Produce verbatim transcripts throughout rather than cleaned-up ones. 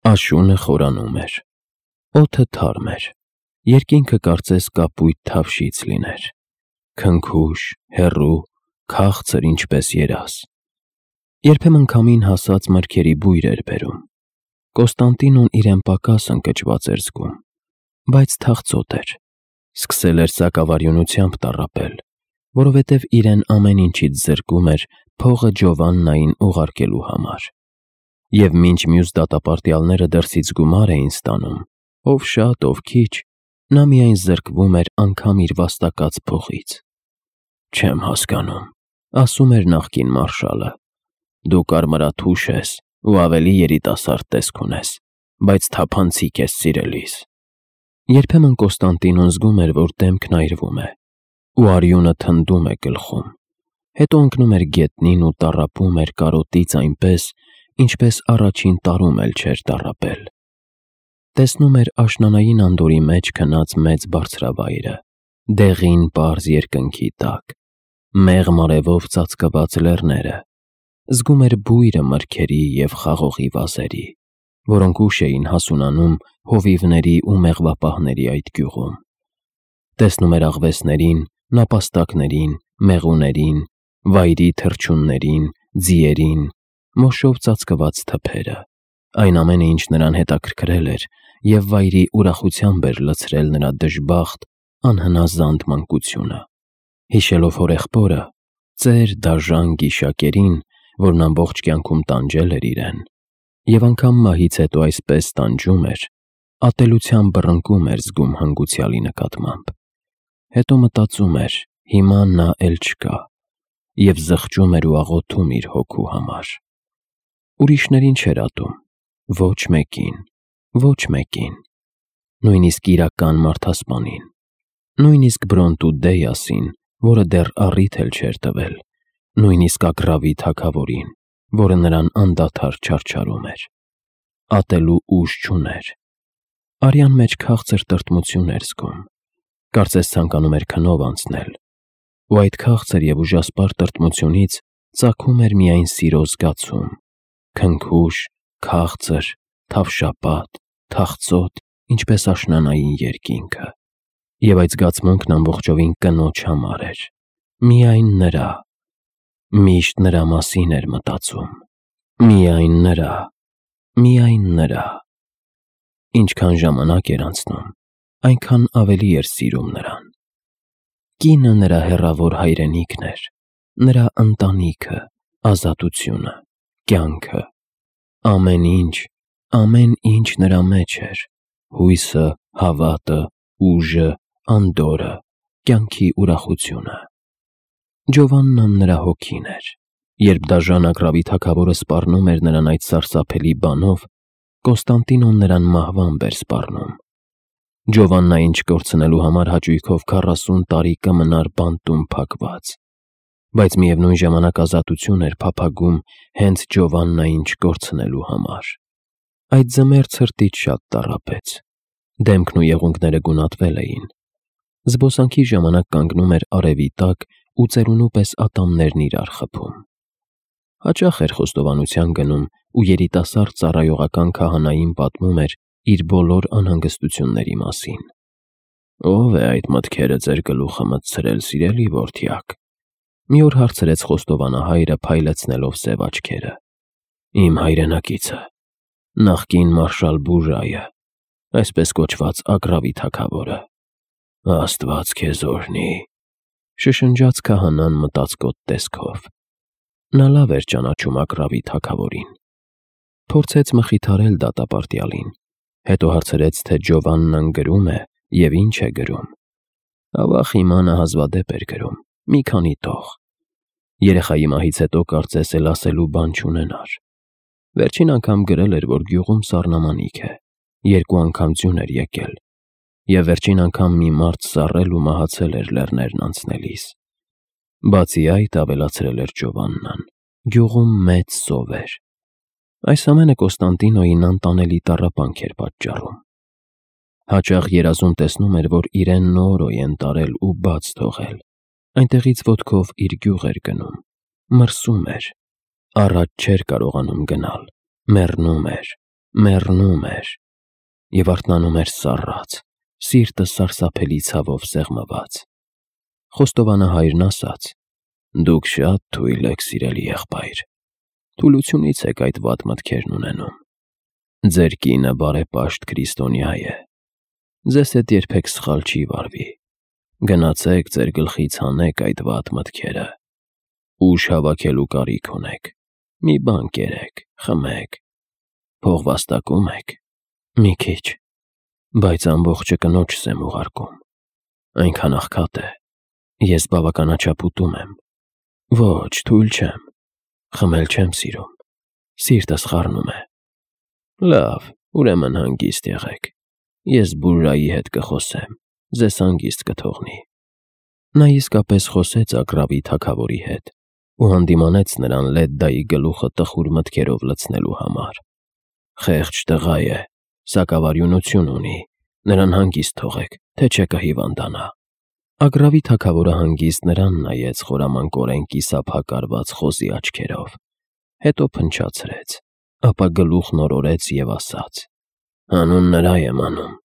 Աշունը խորանում էր, օդը թարմ էր, երկինքը կարծես կապույտ թավշից լիներ, քնքուշ, հեռու, քաղցր ինչպես երազ, երբեմն քամին հասած մրգերի բույր էր բերում, Կոստանդինոն իրեն պակաս ընկճված էր զգում, բայց թախծոտ էր, սկսել էր սակավարյունությամբ տառապել, որովհետև իրեն ամեն ինչից զրկում էր փողը Ջովաննային ուղարկելու համար, և մինչ մյուս դատապարտյալները դրսից գումար էին ստանում, ով շատ, ով քիչ, նա միայն զրկվում էր անգամ իր վաստակած փողից։ «Չեմ հասկանում», ասում էր նախկին մարշալը, «դու կարմրաթուշ ես ու ավելի երիտասարդ տեսք ունես, բայց թափանցիկ ես սիրելիս»։ Երբեմն Կոստանդինոն զգում էր, որ դեմքն այրվում է, ու արյունը թնդում է գլխում, հետո ընկնում էր գետնին ու տառապում էր կարոտից այնպես, ինչպես առաջին տարում էլ չէր տառապել։ Տեսնում էր աշնանային անդորի մեջ քնած մեծ բարձրավայրը, դեղին պարզ երկնքի տակ, մեղմ արևով ծածկված լեռները, զգում էր բույրը մրգերի և խաղողի վազերի, որոնք ուշ էին հասունանում հովիվների ու մեղվապահների այդ գյուղում, տեսնում էր աղվեսներին, նապաստակներին, մեղուներին, վայրի թռչուններին, ձիերին, մոշով ծածկված թփերը, այն ամենը, ինչ նրան հետաքրքրել էր և վայրի ուրախությամբ էր լցրել նրա դժբախտ, անհնազանդ մանկությունը, հիշելով հորեղբորը, ծեր դաժան գիշակերին, որն ամբողջ կյանքում տանջել էր իրեն, և անգամ մահից հետո այսպես տանջում էր, ատելությամբ բռնկում էր զգում հանգուցյալի նկատմամբ, հետո մտածում էր, հիմա նա էլ չկա, և զղջում էր ու աղոթում իր հոգու համար։ Ուրիշներին չէր ատում, ոչ մեկին, ոչ մեկին, նույնիսկ իրական մարդասպանին, նույնիսկ Բրոնտու Դեյասին, որը դեռ առիթ էլ չէր տվել, նույնիսկ Ագռավի թագավորին, որը նրան անդադար չարչարում էր։ Ատելու ուժ չուներ։ Արյան մեջ քաղցր տրտմություն էր զգում, կարծես ցանկանում էր քնով անցնել, ու այդ քաղցր և ուժասպառ տրտմությունից ծագում էր միայն սիրո զգացում, քնքուշ, քաղցր, թավշապատ, թախծոտ, ինչպես աշնանային երկինքը, և այդ զգացմունքն ամբողջովին կնոջ համար էր, միայն նրա, միշտ նրա մասին էր մտածում, միայն նրա, միայն նրա։ Ինչքան ժամանակ էր անցնում, այնքան ավելի էր սիրում նրան։ Կինը նրա հեռավոր հայրենիքն էր, նրա ընտանիքը, ազատությունը, կյանքը, ամեն ինչ, ամեն ինչ նրա մեջ էր, հույսը, հավատը, ուժը, անդորրը, կյանքի ուրախությունը։ Ջովաննան նրա հոգին էր։ Երբ դաժան Ագռավի թագավորը սպառնում էր նրան այդ սարսափելի բանով, Կոստանդինոն նրան մահվամբ էր սպառնում։ Ջովաննային չկորցնելու համար հաճույքով քառասուն տարի կմնար բանտում փակված, բայց միևնույն ժամանակ ազատություն էր փափագում հենց Ջովաննային չկորցնելու համար։ Այդ ձմեռ ցրտից շատ տառապեց, դեմքն ու եղունգները գունատվել էին, զբոսանքի ժամանակ կանգնում էր արևի տակ ու ծերունու պես ատամներն իրար խփում։ Հաճախ էր խոստովանության գնում ու երիտասարդ ծառայողական քահանային պատմում էր իր բոլոր անհանգստությունների մասին։ «Ո՞վ է այդ մտքերը ձեր գլուխը մտցրել, սիրելի որդյակ», մի օր հարցրեց խոստովանահայրը փայլեցնելով սև աչքերը։ «Իմ հայրենակիցը, նախկին մարշալ Բուժայը, այսպես կոչված Ագռավի թագավորը։ Աստված քեզ օրհնի», շշնջաց քահանան մտածկոտ տեսքով։ Նա լավ էր ճանաչում Ագռավի թագավորին։ Փորձեց մխիթարել դատապարտյալին, հետո հարցրեց, թե Ջովաննան գրում է և ինչ է գրում։ Ավա հիմա նա հազվադեպ էր գրում, մի քանի տող։ Երեխայի մահից հետո կարծես էլ ասելու բան չունենար։ Վերջին անգամ գրել էր, որ գյուղում սառնամանիք է, երկու անգամ ձյուն էր եկել, և վերջին անգամ մի մարդ սառել ու մահացել էր լեռներն անցնելիս։ Բացի այդ, ավելացրել էր Ջովաննան, գյուղում մեծ սով էր։ Այս ամենը Կոստանդինոյին անտանելի տառապանք էր պատճառում։ Հաճախ երազում տեսնում էր, որ իրեն նորոյ են տարել ու բաց թողել, այնտեղից ոտքով իր գյուղ էր գնում, մրսում էր, առաջ չէր կարողանում գնալ, մեռնում էր, մեռնում էր և արթնանում էր սառած, սիրտը սարսափելի ցավով սեղմված։ Խոստովանահայրն ասաց. «Դուք շատ թույլ եք, սիրելի եղբայր, թուլությունից եք այդ վատ մտքերն ունենում։ Ձեր կինը բարեպաշտ քրիստոնյա է, ձեզ հետ երբեք սխալ չի վարվի։ Գնացեք ձեր գլխից հանեք այդ վատ մտքերը։ Ուժ հավաքելու կարիք ունեք, մի բան կերեք, խմեք։ Փող վաստակում եք։ Մի քիչ, բայց ամբողջը կնոջս եմ ուղարկում։ Այնքան աղքատ է, ես բավականաչափ ուտում եմ։ Ոչ, թույլ չեմ, խմել չեմ սիրում, սիրտս խառնում է։ Լավ, ուրեմն հանգիստ եղեք, ես բուրրայի հետ կխոսեմ, ձեզ հանգիստ կթողնի»։ Նա իսկապես խոսեց Ագռավի թագավորի հետ ու հանդիմանեց նրան Լեդդայի գլուխը տխուր մտքերով լցնելու համար։ «Խեղճ տղա է, սակավարյունություն ունի, նրան հանգիստ թողեք, թե չէ կհիվանդանա»։ Ագռավի թագավորը հանգիստ նրան նայեց խորամանկորեն կիսափակարված խոզի աչքերով, հետո փնչացրեց, ապա գլուխն օրորեց և ասաց. «Հանուն նրա եմ անում»։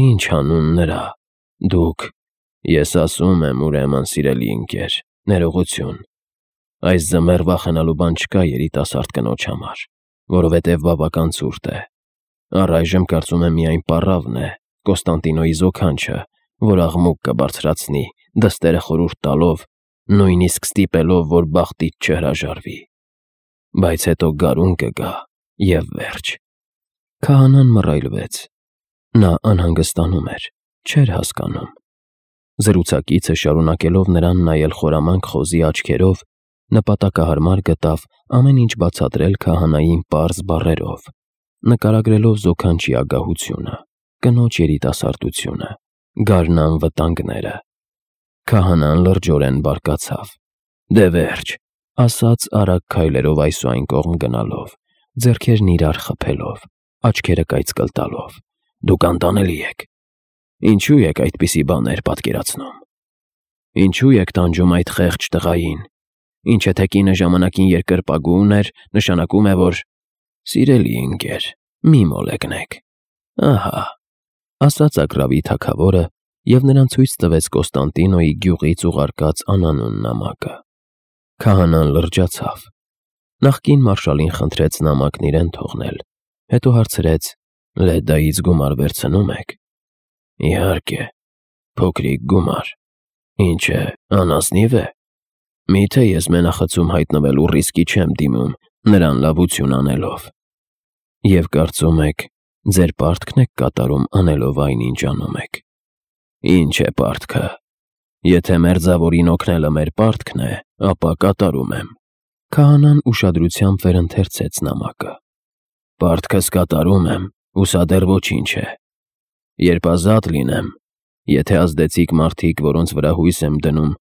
«Ինչ հանուն նրա, դուք»։ «Ես ասում եմ, ուրեմն, սիրելի ընկեր, ներողություն։ Այս ձմեռ վախենալու բան չկա երիտասարդ կնոջ համար, որովհետև բավական ցուրտ է։ Առայժմ կարծում եմ միայն պառավն է, Կոստանդինոյի զոքանչը, որ աղմուկ կբարձրացնի, դստերը խորհուրդ տալով, նույնիսկ ստիպելով, որ բախտից չհրաժարվի։ Բայց հետո գարուն կգա և վերջ»։ Քահանան մռայլվեց։ Նա անհանգստանում էր, չէր հասկանում։ Զրուցակիցը, շարունակելով նրան նայել խորամանկ խոզի աչքերով, նպատակահարմար գտավ ամեն ինչ բացատրել քահանային պարզ բառերով, նկարագրելով զոքանչի ագահությունը, կնոջ երիտասարդությունը, գարնան վտանգները։ Քահանան լրջորեն բարկացավ։ «Դե վերջ», ասաց արագ քայլերով այս ու այն կողմ գնալով, ձեռքերն իրար խփելով, աչքերը կայծկլ տալով։ «Դուք անտանելի եք։ Ինչու եք այդպիսի բաներ պատկերացնում։ Ինչու եք տանջում այդ խեղճ տղային։ Ինչ եթե կինը ժամանակին երկրպագու ուներ, նշանակում է, որ… Սիրելի ընկեր, մի մոլեգնեք։ Ահա», ասաց Ագռավի թագավորը և նրան ցույց տվեց Կոստանդինոյի գյուղից ուղարկած անանուն նամակը։ Քահանան լրջացավ։ Նախկին մարշալին խնդրեց նամակն իրեն թողնել, հետո հարցրեց. «Լեդդայից գումար վերցնո՞ւմ եք»։ «Իհարկե, փոքրիկ գումար։ Ինչ է, անազնիվ է։ Միթե ես մենախցում հայտնվելու ռիսկի չեմ դիմում նրան լավություն անելով։ Եվ կարծում եք, ձեր պարտքն եք կատարում անելով այն, ինչ անում եք։ Ինչ է պարտքը։ Եթե մերձավորին օգնելը մեր պարտքն է, ապա կատարում եմ»։ Քահանան ուշադրությամբ վերընթերցեց նամակը։ «Պարտքս կատարում եմ, ու սա դեռ ոչինչ է։ Երբ ազատ լինեմ, եթե ազդեցիկ մարդիկ, որոնց վրա հույս եմ դնում,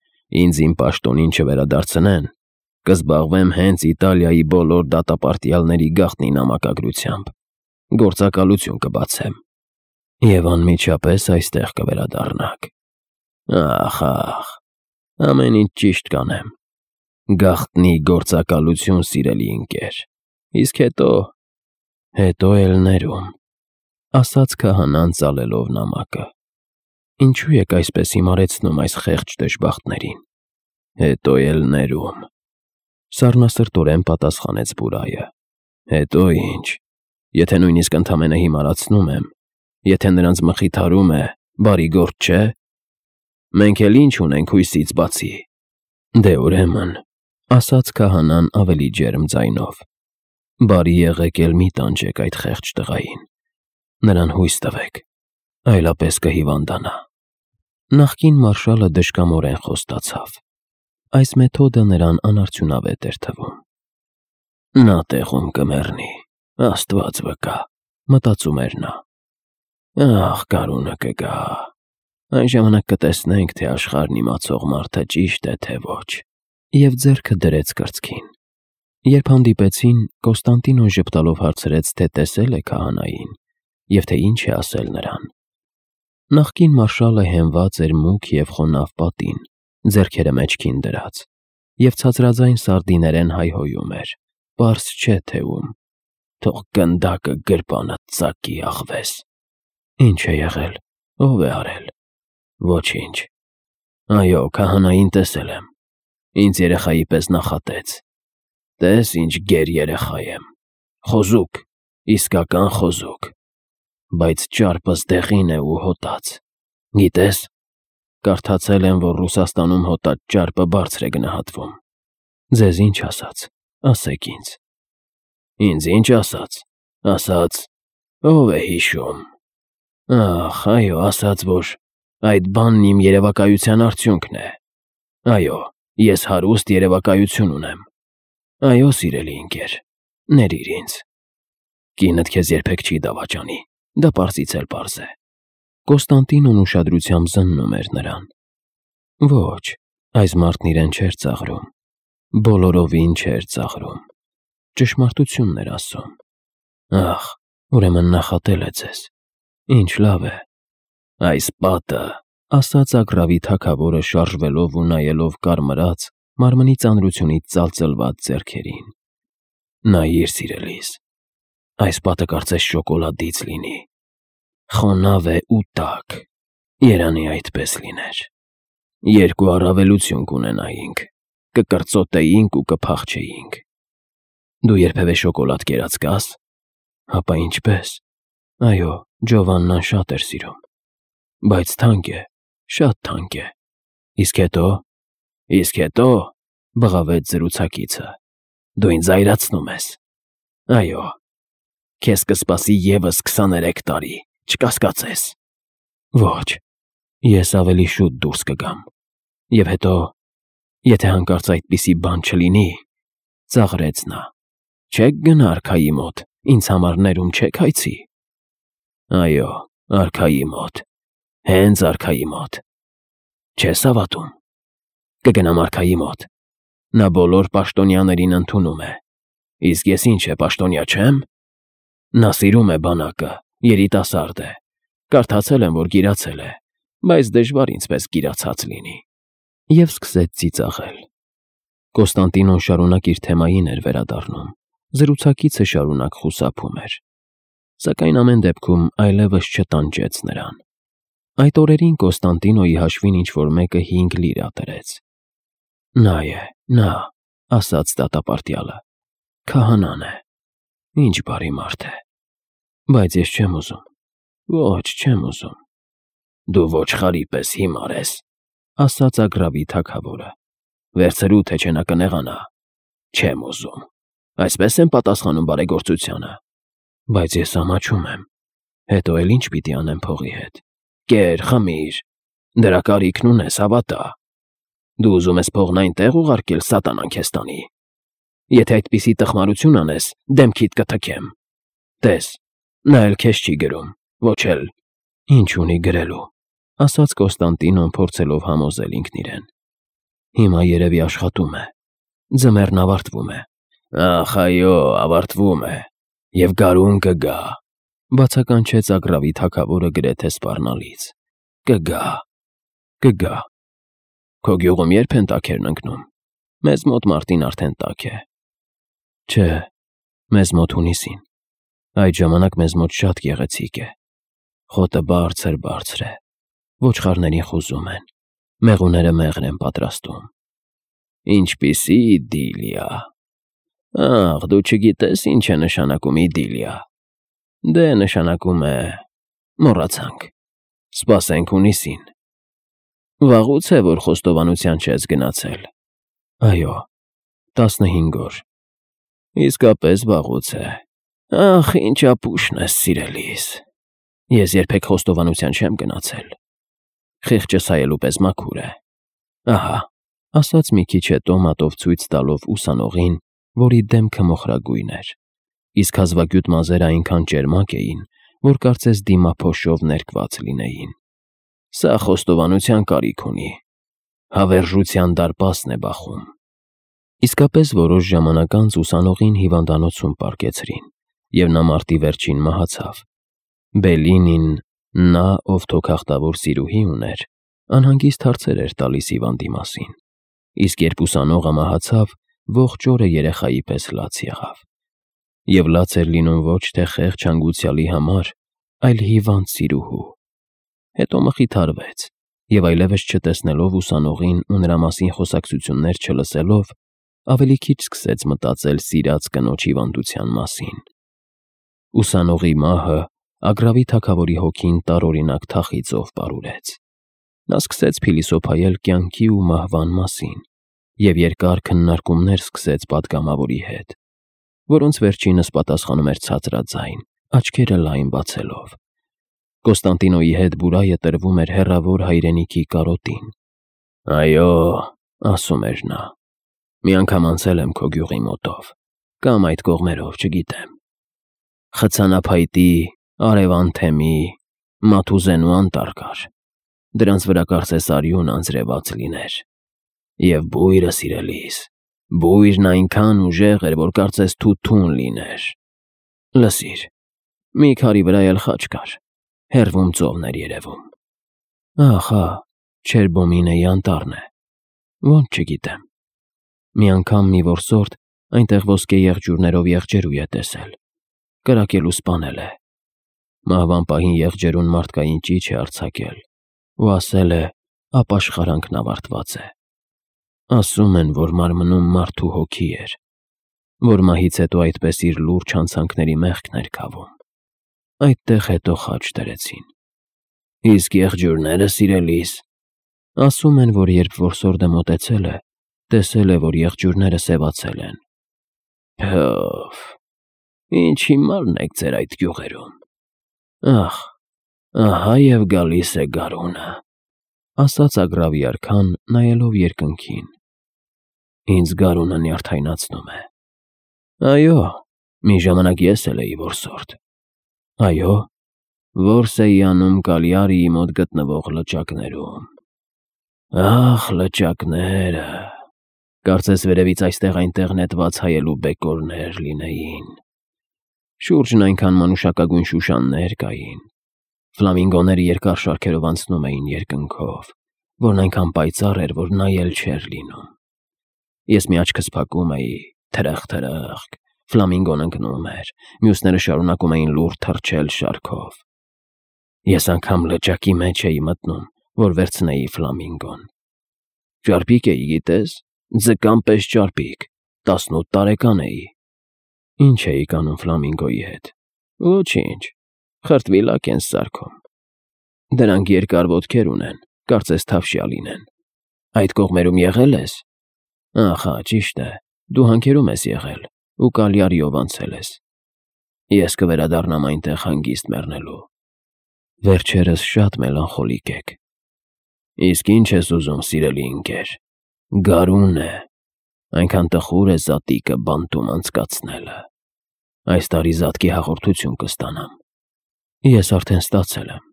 ինձ իմ պաշտոնին չվերադարձնեն, կզբաղվեմ հենց Իտալիայի բոլոր դատապարտյալների գաղտնի նամակագրությամբ, գործակալություն կբացեմ, և անմիջապես այստեղ կվերադառնաք։ Ախ, ախ, ամեն ինչ ճիշտ կանեմ։ Գաղտնի գործակալություն, սիրելի ընկեր։ Իսկ հետո… հետո էլ ներում», ասաց քահանան ծալելով նամակը։ «Ինչու եք այսպես հիմարեցնում այս խեղճ դժբախտներին։ Հետո էլ ներում», սառնասրտորեն պատասխանեց բուրայը։ «Հետո ինչ, եթե նույնիսկ ընդամենը հիմարացնում եմ, եթե նրանց մխիթարում է, բարի գործ չէ։ Մենք էլ ինչ ունենք հույսից բացի»։ «Դե ուրեմն», ասաց քահանան ավելի ջերմ ձայնով, «բարի եղեք էլ մի տանջեք այդ խեղճ տղային։ Նրան հույս տվեք, այլապես կհիվանդանա»։ Նախկին մարշալը դժկամորեն խոստացավ։ Այս մեթոդը նրան անարդյունավետ էր թվում։ «Նա տեղում կմեռնի, Աստված վկա», մտածում էր նա։ «Ախ, գարունը կգա, այն ժամանակ կտեսնենք, թե աշխարհն իմացող մարդը ճիշտ է, թե ոչ»։ Եվ ձեռքը դրեց կրծքին։ Երբ հանդիպեցին, Կոստանդինոն ժպտալով հարցրեց, թե տեսել է քահանային և թե ինչ է ասել նրան։ Նախկին մարշալը հենված էր մուգ և խոնավ պատին, ձեռքերը մեջքին դրած, և ցածրաձայն սարդիներեն հայհոյում էր, պարզ չէ թե ում։ թող գնդակը գրպանդ ծակի աղվես։ Ինչ է եղել, ով է արել։ Ոչինչ։ Այո, քահանային տեսել եմ, ինձ երեխայի պես նախատեց։ Տես ինչ գեր երեխա եմ, խոզուկ, իսկական խոզուկ, բայց ճարպս դեղին է ու հոտած։ Գիտես, կարդացել եմ, որ Ռուսաստանում հոտած ճարպը բարձր է գնահատվում։ Ձեզ ինչ ասաց, ասեք ինձ։ Ինձ ինչ ասաց, ասաց, ով է հիշում։ Ախ, այո, ասաց, որ այդ բանն իմ երևակայության արդյունքն է։ Այո, ես հարուստ երևակայություն ունեմ։ Այո, սիրելի ընկեր, ներիր ինձ։ Կինդ քեզ երբեք չի դավաճանի, դա պարզից էլ պարզ է։ Կոստանտինոն ուշադրությամբ զննում էր նրան։ Ոչ, այս մարդն իրեն չէր ծաղրում, բոլորովին չէր ծաղրում, ճշմարտությունն էր ասում։ Ախ, ուրեմն նախատել է ձեզ, ինչ լավ է։ Այս պատը, ասաց Ագռավի թագավորը շարժվելով ու նայելով կարմրած, մարմնի ծանրությունից ծալծլված ձեռքերին։ Նայիր, սիրելիս, այս պատը կարծես շոկոլադից լինի, խոնավ է ու տաք, երանի այդպես լիներ։ Երկու առավելություն կունենայինք, կկրծոտեինք ու կփախչեինք։ Դու երբևէ շոկոլադ կերած կաս։ Հապա ինչպես։ Այո, Ջովաննան շատ էր սիրում։ Բայց թանկ է, շատ թանկ է։ Իսկ հետո։ Իսկ հետո, բղավեց զրուցակիցը, դու ինձ զայրացնում ես։ Այո, քեզ կսպասի ևս քսաներեք տարի, չկասկածես։ Ոչ, ես ավելի շուտ դուրս կգամ։ Եվ հետո, եթե հանկարծ այդպիսի բան չլինի, ծաղրեց նա, չեք գնա արքայի մոտ, ինձ համար ներում չեք հայցի։ Այո, արքայի մոտ, հենց արքայի մոտ։ Չես հավատում։ Կգնամ արքայի մոտ։ Նա բոլոր պաշտոնյաներին ընդունում է։ Իսկ ես ինչ է, պաշտոնյա չեմ։ Նա սիրում է բանակը, երիտասարդ է։ Կարդացել եմ, որ գիրացել է, բայց դժվար ինձպես գիրացած լինի։ Եվ սկսեց ծիծաղել։ Կոստանտինոն շարունակ իր թեմային էր վերադառնում, զրուցակիցը շարունակ խուսափում էր։ Սակայն ամեն դեպքում այլևս չտանջեց նրան։ Այդ օրերին Կոստանտինոյի հաշվին ինչ-որ մեկը հինգ լիրա տրեց։ Նա է, նա, ասաց դատապարտյալը, քահանան է, ինչ բարի մարդ է, բայց ես չեմ ուզում, ոչ, չեմ ուզում։ Դու ոչխարի պես հիմար ես, ասաց Ագռավի թագավորը, վերցրու, թե չէ նա կնեղանա։ Չեմ ուզում, այսպես եմ պատասխանում բարեգործությանը։ Բայց ես ամաչում եմ, հետո էլ ինչ պիտի անեմ փողի հետ։ Կեր, խմիր, դրա կարիքն ունես, հավատա։ Դու ուզում ես փողն այնտեղ ուղարկել, սատանան քեզ տանի։ Եթե այդպիսի տխմարություն անես, դեմքիդ կթքեմ։ Տես, նա էլ քեզ չի գրում, ոչ էլ։ Ինչ ունի գրելու, ասաց Կոստանտինոն, փորձելով համոզել ինքն իրեն։ Հիմա երևի աշխատում է, ձմեռն ավարտվում է։ Ախ, այո, ավարտվում է, և գարուն կգա, բացականչեց Ագռավի թագավորը գրեթե սպառնալից։ Կգա, կգա։ Քո գյուղում երբ են տաքերն ընկնում։ Մեզ մոտ մարտին արդեն տաք է։ Չէ, մեզ մոտ հունիսին։ Այդ ժամանակ մեզ մոտ շատ գեղեցիկ է։ Խոտը բարձր-բարձր է, ոչխարներին խուզում են, մեղուները մեղր են պատրաստում։ Ինչպիսի իդիլիա։ Ախ, դու չգիտես ինչ է նշանակում իդիլիա։ Դե նշանակում է… մոռացանք։ Սպասենք հունիսին։ Վաղուց է, որ խոստովանության չես գնացել։ Այո, տասնհինգ օր։ Իսկապես վաղուց է։ Ախ, ինչ ապուշն ես, սիրելիս։ Ես երբեք խոստովանության չեմ գնացել։ Խիղճս հայելու պես մաքուր է։ Ահա, ասաց մի քիչ հետո մատով ցույց տալով ուսանողին, որի դեմքը մոխրագույն էր, իսկ հազվագյուտ մազերը այնքան ճերմակ էին, որ կարծես դիմափոշով ներկված լինեին։ Սա խոստովանության կարիք ունի։ Հավերժության դարպասն է բախում։ Իսկապես որոշ ժամանակ անց ուսանողին հիվանդանոցում պառկեցրին, և նա մարտի վերջին մահացավ։ Բելինին, նա, ով թոքախտավոր սիրուհի ուներ, անհանգիստ հարցեր էր տալիս հիվանդի մասին, իսկ երբ ուսանողը մահացավ, ողջ օրը երեխայի պես լաց եղավ։ Եվ լաց էր լինում ոչ թե խեղճ հանգուցյալի համար, այլ հիվանդ սիրուհու։ Հետո մխիթարվեց, և այլևս չտեսնելով ուսանողին ու նրա մասին խոսակցություններ չլսելով, ավելի քիչ սկսեց մտածել սիրած կնոջ հիվանդության մասին։ Ուսանողի մահը Ագռավի թագավորի հոգին տարօրինակ թախիծով պարուրեց։ Նա սկսեց փիլիսոփայել կյանքի ու մահվան մասին և երկար քննարկումներ սկսեց պատգամավորի հետ, որոնց վերջինս պատասխանում էր ցածրաձայն, աչքերը լայն բացելով։ Կոստանդինոյի հետ բուրայը տրվում էր հեռավոր հայրենիքի կարոտին։ «Այո», ասում էր նա, «մի անգամ անցել եմ քո գյուղի մոտով, կամ այդ կողմերով, չգիտեմ։ Խցանափայտի, արևանթեմի, մաթուզենու անտառ կար, դրանց վրա կարծես արյուն անձրևած լիներ։ Եվ բույրը, սիրելիս, բույրն այնքան ուժեղ էր, որ կարծես թութուն լիներ։ Լսիր, մի քարի վրա էլ խաչ կար, հեռվում ծովն էր երևում։ Ախ, հա, Չերբոմինեի անտառն է, ոնց չգիտեմ։ Մի անգամ մի որսորդ այնտեղ ոսկե եղջյուրներով եղջերու է տեսել, կրակել ու սպանել է։ Մահվան պահին եղջերուն մարդկային ճիչ է արձակել ու ասել է ապաշխարանքն ավարտված է։ Ասում են, որ մարմնում մարդու հոգի էր, որ մահից հետո այդպես իր լուրջ հանցանքների մեղքն էր քավում։ Այդտեղ հետո խաչ դրեցին։ Իսկ եղջյուրները, սիրելիս, ասում են, որ երբ որսորդը մոտեցել է, տեսել է, որ եղջյուրները սևացել են։ Փը՜ֆ, ինչ հիմարն եք ձեր այդ գյուղերում։ Ախ, ահա և գալիս է գարունը, ասաց Ագռավի արքան, նայելով երկնքին։ Ինձ գարունը նյարդայնացնում է։ Այո, մի ժամանակ ես էլ էի որսորդ։ Այո, որս էի անում Կալիարիի մոտ գտնվող լճակներում։ Ախ, լճակները, կարծես վերևից այստեղ-այնտեղ նետված հայելու բեկորներ լինեին։ Շուրջն այնքան մանուշակագույն շուշաններ կային, ֆլամինգոները երկար շարքերով անցնում էին երկնքով, որն այնքան պայծառ էր, որ նայել չէր լինում։ Ես մի աչքս փակում էի, թրախ-թրախկ, ֆլամինգոն ընկնում էր, մյուսները շարունակում էին լուռ թռչել շարքով։ Ես անգամ լճակի մեջ էի մտնում, որ վերցնեի ֆլամինգոն։ Ճարպիկ էի, գիտես, ձկան պես ճարպիկ, տասնութ տարեկան էի։ Ինչ էիք անում ֆլամինգոյի հետ։ Ոչինչ, խրտվիլակ են սարքում։ Դրանք երկար ոտքեր ունեն, կարծես թավշյա լինեն։ Այդ կողմերում եղել ես։ Ախա, ճիշտ է, դու հանքերում ես եղել ու Կալիարիով անցել ես։ Ես կվերադառնամ այնտեղ հանգիստ մեռնելու։ Վերջերս շատ մելանխոլիկ եք։ Իսկ ինչ ես ուզում, սիրելի ընկեր։ Գարուն է, այնքան տխուր է զատիկը բանտում անցկացնելը։ Այս տարի զատկի հաղորդություն կստանամ։ Ես արդեն ստացել եմ։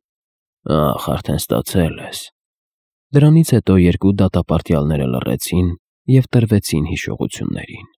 Ախ, արդեն ստացել ես։ Դրանից հետո երկու դատապարտյալները լռեցին և տրվեցին հիշողություններին։